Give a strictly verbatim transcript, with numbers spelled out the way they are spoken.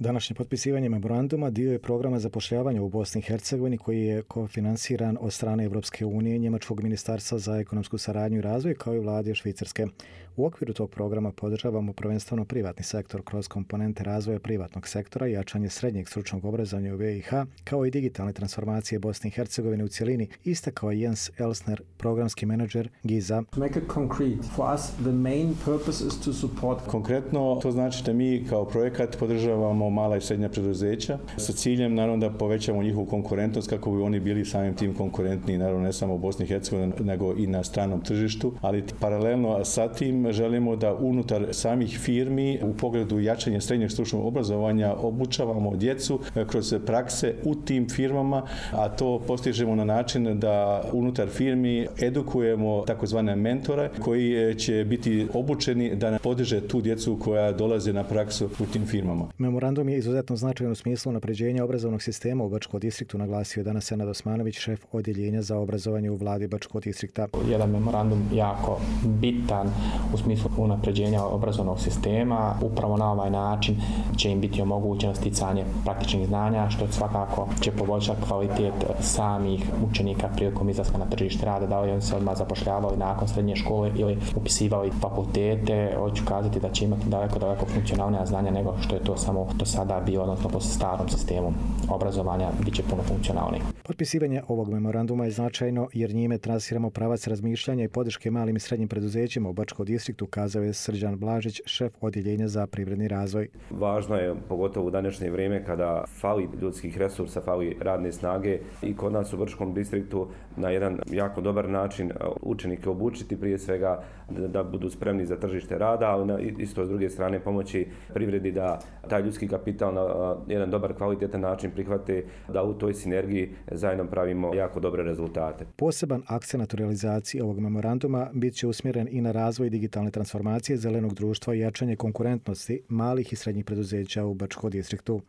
Današnje potpisivanje memoranduma dio je programa zapošljavanja u Bosni i Hercegovini koji je kofinansiran od strane Evropske unije i Njemačkog ministarstva za ekonomsku saradnju i razvoj kao i vlade Švicarske. U okviru tog programa podržavamo prvenstveno privatni sektor kroz komponente razvoja privatnog sektora i jačanje srednjeg stručnog obrazovanja u B i H, kao i digitalne transformacije Bosne i Hercegovine u cjelini, istakao je Jens Elsner, programski menadžer Giza. Konkretno to znači da mi kao projekat podržavamo mala i srednja preduzeća sa ciljem naravno da povećamo njihovu konkurentnost kako bi oni bili samim tim konkurentni, naravno ne samo u Bosni i Hercegovini nego i na stranom tržištu, ali paralelno sa tim želimo da unutar samih firmi u pogledu jačanja srednjeg stručnog obrazovanja obučavamo djecu kroz prakse u tim firmama, a to postižemo na način da unutar firmi edukujemo takozvane mentore koji će biti obučeni da podiže tu djecu koja dolaze na praksu u tim firmama. Memorandum je izuzetno značajan u smislu unapređenja obrazovnog sistema u Bačkom distriktu, naglasio je danas Senad Osmanović, šef odjeljenja za obrazovanje u vladi Bačkog distrikta. Jedan memorandum jako bitan u smislu unapređenja obrazovnog sistema. Upravo na ovaj način će im biti omogućeno sticanje praktičnih znanja, što svakako će poboljšati kvalitet samih učenika prilikom izlaska na tržište rada, da li oni se odmah zapošljavali nakon srednje škole ili upisivali fakultete. Hoću kazati da će imati daleko, daleko funkcionalnija znanja nego što je to samo do sada bilo, odnosno po starom sistemu obrazovanja bit će puno funkcionalniji. Potpisivanje ovog memoranduma je značajno jer njime trasiramo pravac razmišljanja i podrške malim i srednjim preduzećima u Bačkom distriktu, kazao je Srđan Blažić, šef odjeljenja za privredni razvoj. Važno je, pogotovo u današnje vrijeme kada fali ljudskih resursa, fali radne snage i kod nas u Bačkom distriktu na jedan jako dobar način učenike obučiti prije svega da, da budu spremni za tržište rada, ali na, isto s druge strane pomoći privredi da taj ljudski kapital na jedan dobar kvalitetan način prihvate, da u toj sinergiji zajedno pravimo jako dobre rezultate. Poseban akcenat u realizaciji ovog memoranduma bit će usmjeren i na razvoj digitalne transformacije zelenog društva i jačanje konkurentnosti malih i srednjih preduzeća u Bačkom distriktu.